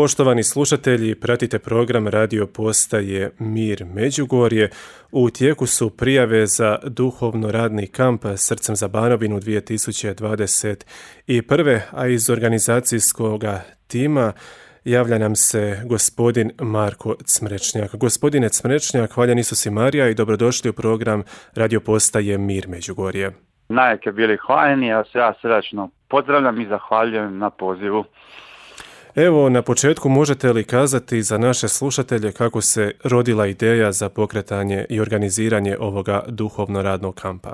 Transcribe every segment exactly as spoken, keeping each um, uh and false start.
Poštovani slušatelji, pratite program radio postaje Mir Međugorje. U tijeku su prijave za duhovno radni kamp Srcem za Banovinu dvije tisuće dvadeset prve. a iz organizacijskog tima javlja nam se gospodin Marko Cmrečnjak. Gospodine Cmrečnjak, hvaljen Isus i Marija i dobrodošli u program radio postaje Mir Međugorje. Najke bili hvaljeni, ja se ja srdačno pozdravljam i zahvaljujem na pozivu. Evo, na početku možete li kazati za naše slušatelje kako se rodila ideja za pokretanje i organiziranje ovoga duhovno radnog kampa?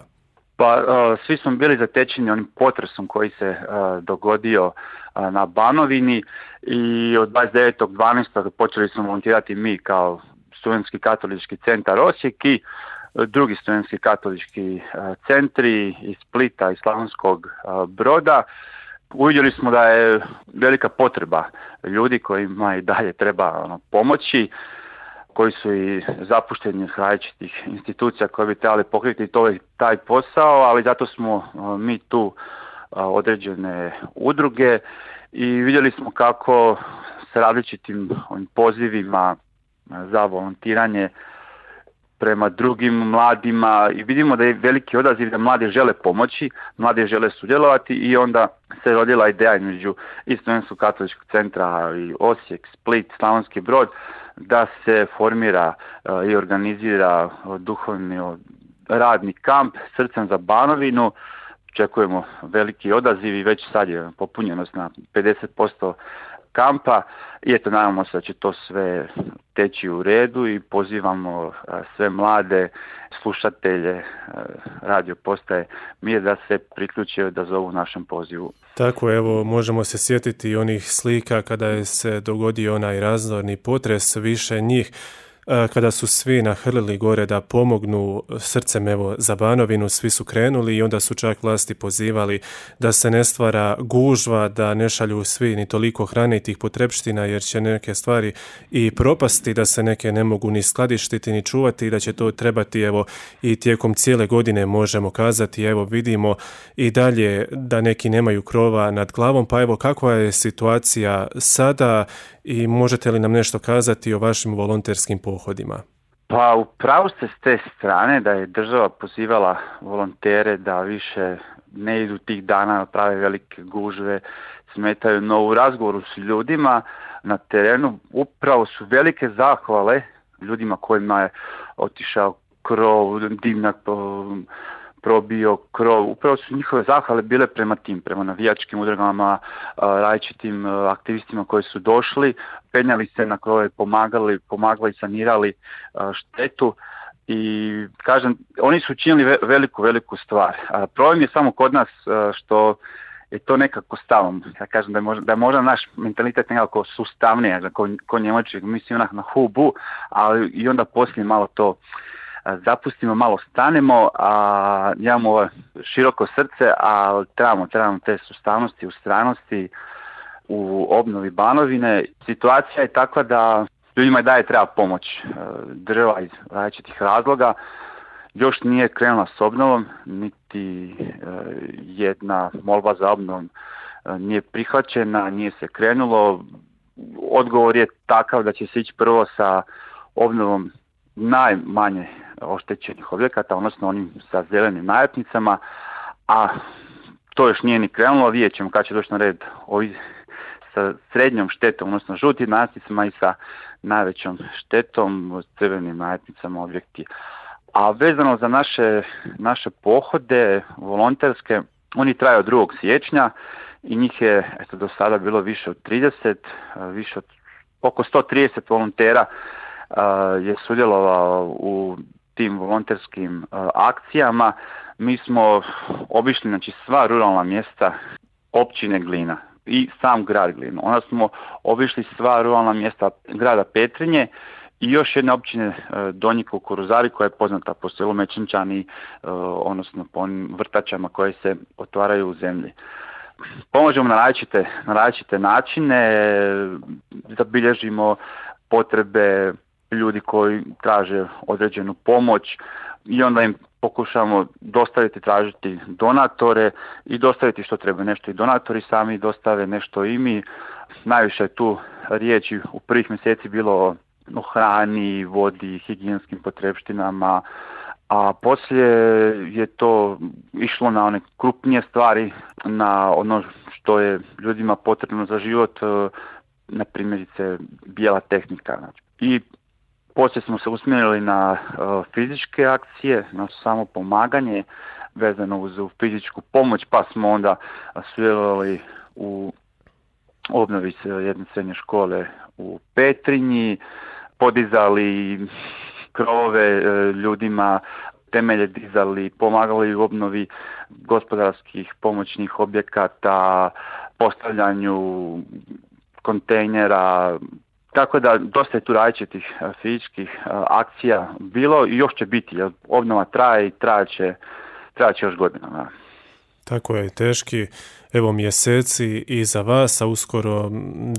Pa, uh, svi smo bili zatečeni onim potresom koji se uh, dogodio uh, na Banovini i od dvadeset devetog dvanaestog počeli smo volontirati mi kao Studentski katolički centar Osijek i drugi studentski katolički uh, centri iz Splita i Slavonskog uh, Broda. Uvidjeli smo da je velika potreba ljudi kojima i dalje treba ono, pomoći, koji su i zapušteni iz različitih institucija koje bi trebali pokriti to, taj posao, ali zato smo uh, mi tu uh, određene udruge i vidjeli smo kako s različitim ovim pozivima za volontiranje prema drugim mladima i vidimo da je veliki odaziv da mladi žele pomoći, mladi žele sudjelovati i onda se rodila ideja između i Studentskog katoličkog centra i Osijek, Split, Slavonski Brod da se formira uh, i organizira uh, duhovni uh, radni kamp Srcem za Banovinu. Očekujemo veliki odaziv i već sad je popunjenost na pedeset posto kampa i eto, nadamo se da će to sve teći u redu i pozivamo sve mlade slušatelje radio postaje Mir da se priključe, da zovu našem pozivu. Tako, evo, možemo se sjetiti onih slika kada je se dogodio onaj razorni potres, više njih kada su svi nahrlili gore da pomognu Srcem evo za Banovinu, svi su krenuli i onda su čak vlasti pozivali da se ne stvara gužva, da ne šalju svi ni toliko hrane i tih potrepština jer će neke stvari i propasti, da se neke ne mogu ni skladištiti ni čuvati i da će to trebati evo i tijekom cijele godine, možemo kazati. Evo, vidimo i dalje da neki nemaju krova nad glavom, pa evo kakva je situacija sada i možete li nam nešto kazati o vašim volonterskim pohodima? Pa upravo ste s te strane da je država pozivala volontere da više ne idu tih dana, prave velike gužve, smetaju, no u razgovoru s ljudima na terenu upravo su velike zahvale ljudima kojima je otišao krov, dimnjak probio krov. Upravo su njihove zahvale bile prema tim, prema navijačkim udrugama, različitim aktivistima koji su došli, penjali se na krove, pomagali, pomagali, sanirali štetu i kažem, oni su učinili veliku, veliku stvar. Problem je samo kod nas što je to nekako stavom. Ja kažem da je možda, da je možda naš mentalitet nekako sustavniji, ko, ko Njemački, mislim onak na hubu, ali i onda poslije malo to zapustimo, malo stanemo, a imamo ovo široko srce, a trebamo, trebamo te sustavnosti, ustrajnosti u obnovi Banovine. Situacija je takva da ljudima i dalje treba pomoć. Država iz različitih razloga još nije krenula s obnovom, niti jedna molba za obnovom nije prihvaćena, nije se krenulo. Odgovor je takav da će se ići prvo sa obnovom najmanje oštećenih objekata, odnosno onim sa zelenim naljepnicama, a to još nije ni krenulo. Vidjet ćemo kad će doći na red ovi sa srednjom štetom, odnosno žutim naljepnicama i sa najvećom štetom, crvenim naljepnicama objekti. A vezano za naše, naše pohode volonterske, oni traju od drugog siječnja i njih je eto, do sada bilo više od trideset, više od oko sto trideset volontera je sudjelovao u tim volonterskim akcijama. Mi smo obišli znači, sva ruralna mjesta općine Glina i sam grad Glinu. Onda smo obišli sva ruralna mjesta grada Petrinje i još jedne općine Donji Kukuruzari koja je poznata po selu Mečenčani, odnosno po onim vrtačama koje se otvaraju u zemlji. Pomožemo na različite, na različite načine, zabilježimo potrebe ljudi koji traže određenu pomoć i onda im pokušamo dostaviti, tražiti donatore i dostaviti što treba, nešto i donatori sami dostave, nešto i mi. Najviše je tu riječi u prvih mjeseci bilo o hrani, vodi, higijenskim potrepštinama, a poslije je to išlo na one krupnije stvari, na ono što je ljudima potrebno za život, na primjerice bijela tehnika. I poslije smo se usmjerili na fizičke akcije, na samo pomaganje vezano uz fizičku pomoć, pa smo onda sudjelovali u obnovi jedne srednje škole u Petrinji, podizali krovove ljudima, temelje dizali, pomagali u obnovi gospodarskih pomoćnih objekata, postavljanju kontejnera, tako da dosta je tu različitih fizičkih akcija bilo i još će biti, jer obnova traje i trajaće, trajaće još godinama. Tako je, teški evo mjeseci iza vas, a uskoro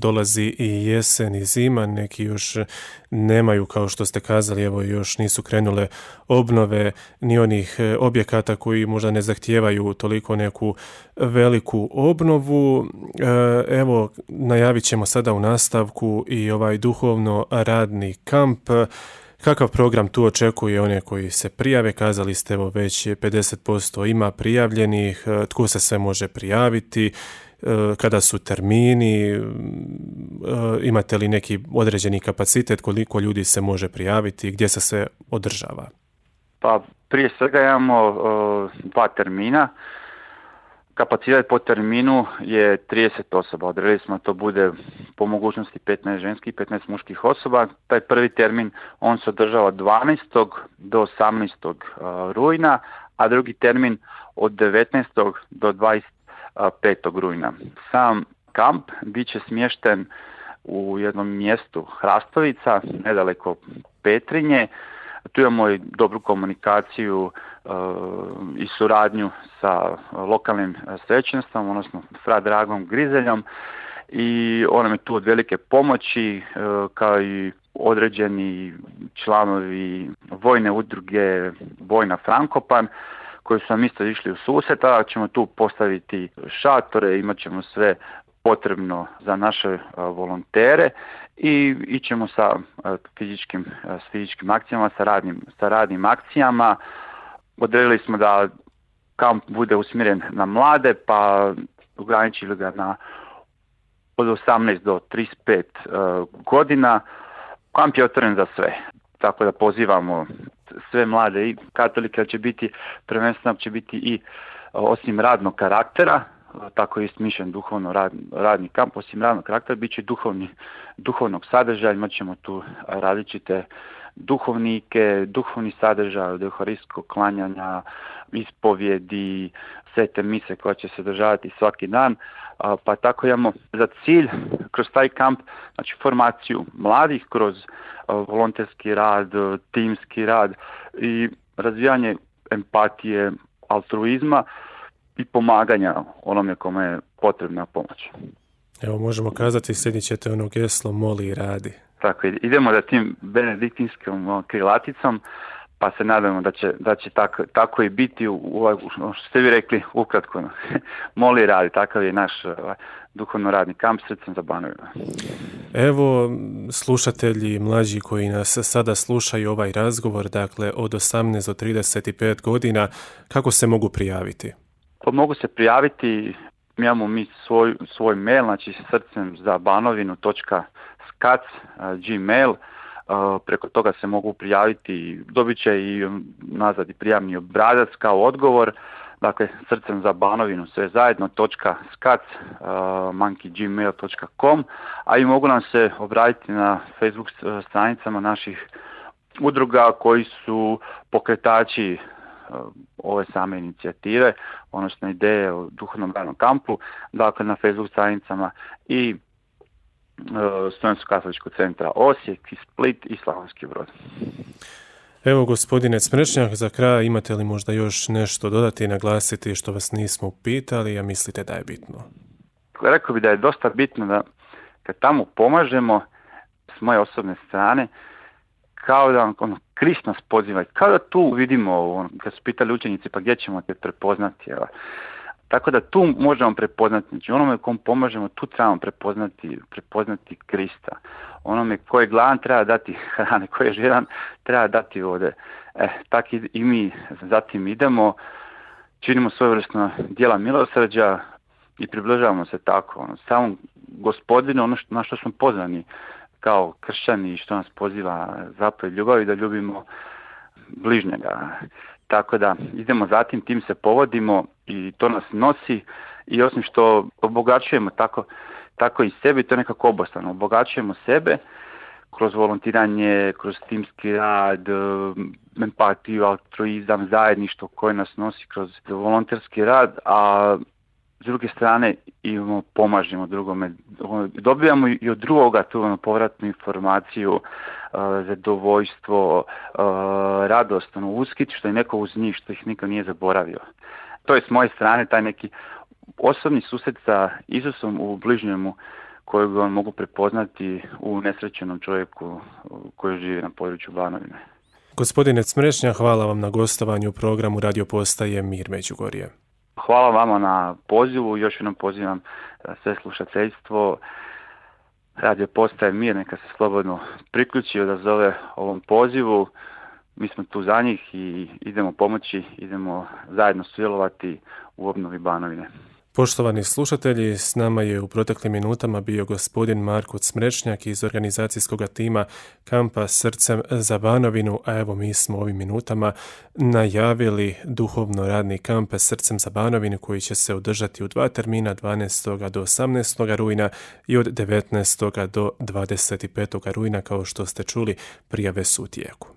dolazi i jesen i zima, neki još nemaju, kao što ste kazali, evo još nisu krenule obnove ni onih objekata koji možda ne zahtijevaju toliko neku veliku obnovu. Evo, najavit ćemo sada u nastavku i ovaj duhovno radni kamp. Kakav program tu očekuje one koji se prijave? Kazali ste, evo, već pedeset posto ima prijavljenih. Tko se sve može prijaviti? Kada su termini? Imate li neki određeni kapacitet? Koliko ljudi se može prijaviti? Gdje se sve održava? Pa prije svega imamo uh, dva termina. Kapacitet po terminu je trideset osoba. Odredili smo da to bude po mogućnosti petnaest ženskih i petnaest muških osoba. Taj prvi termin on se održava dvanaestog do osamnaestog rujna, a drugi termin od devetnaestog do dvadeset petog rujna. Sam kamp bit će smješten u jednom mjestu Hrastovica, nedaleko Petrinje. Tu imamo i dobru komunikaciju uh, i suradnju sa lokalnim svećenstvom, odnosno fra Dragom Grizeljom, i on nam je tu od velike pomoći, uh, kao i određeni članovi vojne udruge Vojna Frankopan, koji su nam isto išli u susret, a ćemo tu postaviti šatore, imat ćemo sve potrebno za naše uh, volontere i ićemo sa uh, fizičkim, uh, s fizičkim akcijama, sa radnim, sa radnim akcijama. Odredili smo da kamp bude usmjeren na mlade, pa ograničili ga na od osamnaest do trideset pet uh, godina. Kamp je otvoren za sve, tako da pozivamo sve mlade i katolike, će biti prvenstveno će biti i uh, osim radnog karaktera, tako je smišljen duhovno rad, radni kamp, osim radnog karaktera, bit će duhovni, duhovnog sadržaja, imat ćemo tu različite duhovnike, duhovni sadržaj od euharistskog klanjanja, ispovjedi, svete mise koja će se održavati svaki dan, pa tako imamo za cilj kroz taj kamp, znači formaciju mladih kroz volonterski rad, timski rad i razvijanje empatije, altruizma i pomaganja onome kome je potrebna pomoć. Evo, možemo kazati, slijedit ćete ono geslo moli i radi. Tako, idemo za tim benediktinskom krilaticom, pa se nadamo da će, da će tako, tako i biti, u, u, što ste vi rekli, ukratko. Moli i radi, takav je naš duhovno radni kamp Srcem za Banovinu. Evo, slušatelji mlađi koji nas sada slušaju ovaj razgovor, dakle od osamnaest do trideset pet godina, kako se mogu prijaviti? Pa mogu se prijaviti, imamo mi svoj, svoj mail, znači srcem za banovinu točka skac, gmail, preko toga se mogu prijaviti, dobit će i nazad i prijavni obrazac kao odgovor, dakle srcem za banovinu sve zajedno točka skac, monkey gmail točka com, a i mogu nam se obratiti na Facebook stranicama naših udruga koji su pokretači ove same inicijative, odnosno ideje o duhovnom radnom kampu, dakle na Facebook stranicama i e, Studentskog katoličkog centra Osijek, i Split i Slavonski Brod. Evo, gospodine Smrčnjak, za kraj imate li možda još nešto dodati i naglasiti što vas nismo pitali, a mislite da je bitno? Rekao bi da je dosta bitno da kad tamo pomažemo s moje osobne strane, kao da ono, Krist nas poziva, kao da tu vidimo, ono, kad su pitali učenici, pa gdje ćemo te prepoznati, evo. Tako da tu možemo prepoznati, znači onome kom pomažemo, tu trebamo prepoznati, prepoznati Krista. Onome ko je gladan treba dati hrane, ko je žedan treba dati vode. E, tako i, i mi zatim idemo, činimo svojevrsno djela milosrđa i približavamo se tako. Ono, samom Gospodinu, ono što, na što smo pozvani kao kršćani i što nas poziva zapovjed ljubavi, da ljubimo bližnjega. Tako da idemo zatim, tim se povodimo i to nas nosi i osim što obogaćujemo tako, tako i sebe, to je nekako obostrano. Obogaćujemo sebe kroz volontiranje, kroz timski rad, empatiju, altruizam, zajedništvo koje nas nosi kroz volonterski rad, a s druge strane imamo, pomažemo drugome, dobijamo i od drugoga tu ono, povratnu informaciju, uh, zadovoljstvo, uh, radost, ono, uskit što je neko uz njih, što ih niko nije zaboravio. To je s moje strane taj neki osobni susret sa Isusom u bližnjemu kojeg on mogu prepoznati u nesrećenom čovjeku koji živi na području Banovine. Gospodine Smrešnja, hvala vam na gostovanju u programu Radio Postaje Mir Međugorje. Hvala vama na pozivu, još jednom pozivam sve slušateljstvo. Radio Postaje Mir, neka se slobodno priključi i odazove ovom pozivu. Mi smo tu za njih i idemo pomoći, idemo zajedno sudjelovati u obnovi Banovine. Poštovani slušatelji, s nama je u proteklim minutama bio gospodin Marko Smrešnjak iz organizacijskog tima kampa Srcem za Banovinu, a evo mi smo ovim minutama najavili duhovno radni kamp Srcem za Banovinu koji će se održati u dva termina, dvanaestog do osamnaestog rujna i od devetnaestog do dvadeset petog rujna, kao što ste čuli, prijave su u tijeku.